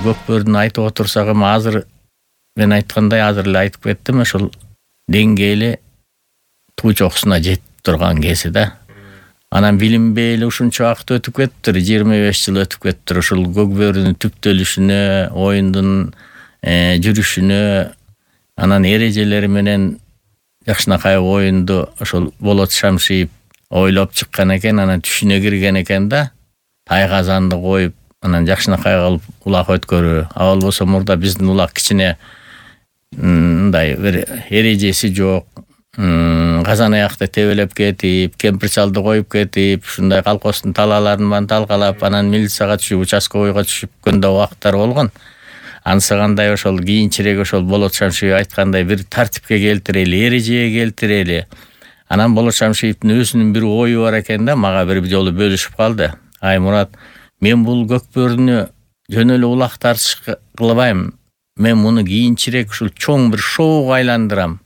Көкбөрүн айтып отурсак эми азыр мен айткандай азыр эле айтып кеттим, ошол деңгээли туу чокусуна жетип турган кези да. Анан билинбейли ушунча убакыт өтүп кетиптир, 25 жыл өтүп кетиптир. Ушул Көкбөрүнүн түптөлүшүнө, оюндун жүрүшүнө, анан эрежелери менен жакшынакай оюнду ошол Болот Шамшиев ойлоп чыккан экен, анан түшүнө кирген экен да. Тайгазанды коюп, анан жакшынакай кылып улак өткөрүү. А болбосо мурда биздин улак кичине мындай бир эрежеси жок. Казан аякта тебелеп кетип, кемпир чалды коюп кетип, ушундай колхоздун талааларын талкалап, анан милицияга түшүп, участковыйга түшүп көндө убакыттар болгон. Ансыгандай ошол кийинчерээк ошол Болот Шамшиев айткандай бир тартипке келтирели, эрежеге келтирели. Анан Болот Шамшиевдин өзүнүн бир ою бар экен да, мага бир жолу бөлүшүп калды. Ай Мурат, мен бул Көкбөрүнү жөн эле улак тартыш кылбайм. Мен муну кийинчерээк ушул чоң бир шоуга айландырам.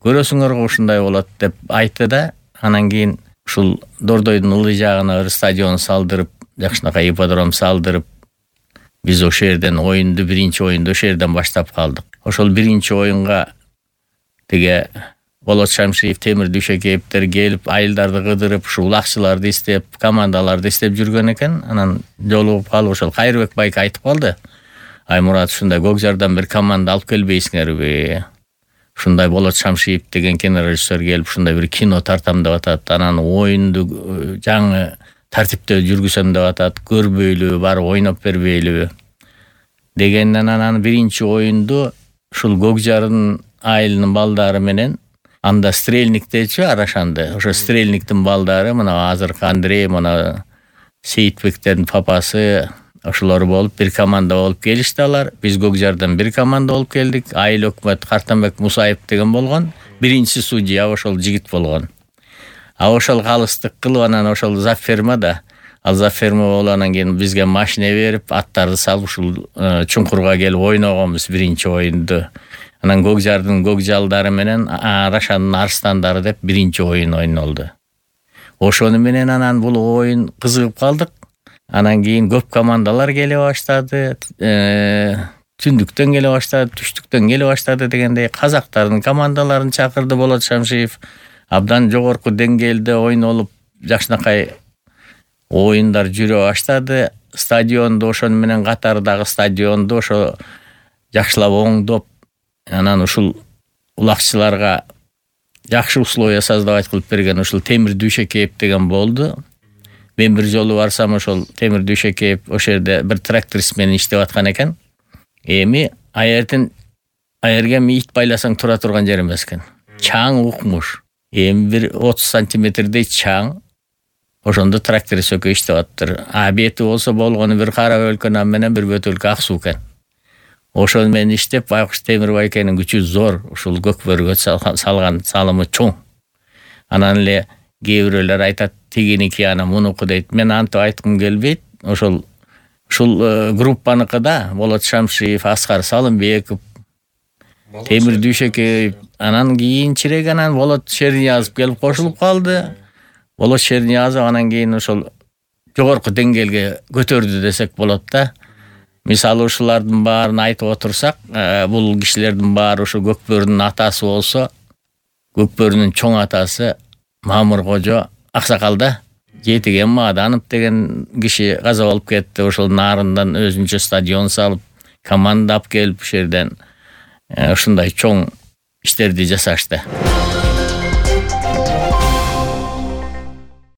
Көрөсүңөр ушундай болот деп айтты да. Анан кийин ушул Дордойдун ылдый жагына бир стадион салдырып, жакшынакай ипподром салдырып, биз ошол жерден оюнду, биринчи оюнду ошол жерден баштап калдык. Ошол биринчи оюнга тиге Болот Шамшиев, Темир Дүйшекеевдер келип, айылдарды кыдырып, ушул улакчыларды издеп, командаларды издеп жүргөн экен. Анан жолугуп калып ошол Кайрыбек байке айтып калды. Ай Мурат, ушундай Көкжардан бир команда алып келбейсиңерби? Ушундай Болот Шамшиев деген кинорежиссер келип, ушундай бир кино тартам деп атат. Анан оюнду жаңы тартипте жүргүзөм деп атат. Көрбөйлүбү, барып ойноп бербейлиби? Дегенден анан биринчи оюнду ушул Көкжардын айылынын балдары менен, анда Стрельниктечи арашанды. Ошо Стрельниктин балдары, мына азыркы Андрей, мына Сейитбектердин папасы, ошолор болуп бир команда болуп келишти алар. Биз Көкжардан бир команда болуп келдик. Айыл өкмөт Картанбек Мусаев деген болгон. Биринчи судья ошол жигит болгон. А ошол калыстык кылып анан ошол Заферма да, ал Заферма болуп анан кийин бизге машина берип, аттарды салып ушул чуңкурга келип ойногонбуз биринчи оюнду. Анан Көкжардын көкжалдары менен Арашандын арстандары деп биринчи оюн ойнолду. Ошону менен анан бул оюн кызыгып калдык. Анан кийин көп командалар келе баштады. Түндүктөн келе баштады, түштүктөн келе баштады дегендей казактардын командаларын чакырды Болот Шамшиев. Абдан жогорку деңгээлде ойнолуп, жакшынакай оюндар жүрө баштады. Стадионду ошону менен катардагы стадионду ошо жакшылап оңдоп, анан ушул улакчыларга жакшы условия создавать кылып берген ушул Темир Дүйшекеев деген болду. Мен бир жолу барсам, ошол Темир Дүйшекеев ошол жерде бир тракторист менен иштеп аткан экен. Эми аерге ит байласаң тура турган жер эмес экен. Чаң укмуш. Эми бир 30 сантиметрдей чаң. Ошондо тракторист өкө иштеп аттыр. А бети болсо болгону бир кара өлкөнөн менен бир бөтөлкө ак суу экен. Ошол менен иштеп, Байкуш Темир байкенин күчү зор, ушул Көкбөрүгө салган салымы чоң. Анан эле кээ бирөөлөр айтат, тигиники ана мунуку дейт. Мен антип айткым келбейт. Ушул группаныкы да Болот Шамшиев, Аскар Салымбеков, Темир Дүйшекеев, анан кийинчерээк анан Болот Шерниязов келип кошулуп калды. Болот Шерниязов анан кийин ошол жогорку деңгээлге көтөрдү десек болот да. Мисалы ушулардын баарын айтып отурсак, бул кишилердин баары ушу Көкбөрүнүн атасы болсо, Көкбөрүнүн чоң атасы Мамыр Кожо аксакал да. Жетиген Маданов деген киши каза болуп кетти. Ошол нарындан өзүнчө стадион салып, команда алып келип ушул жерден ушундай чоң иштерди жасашты.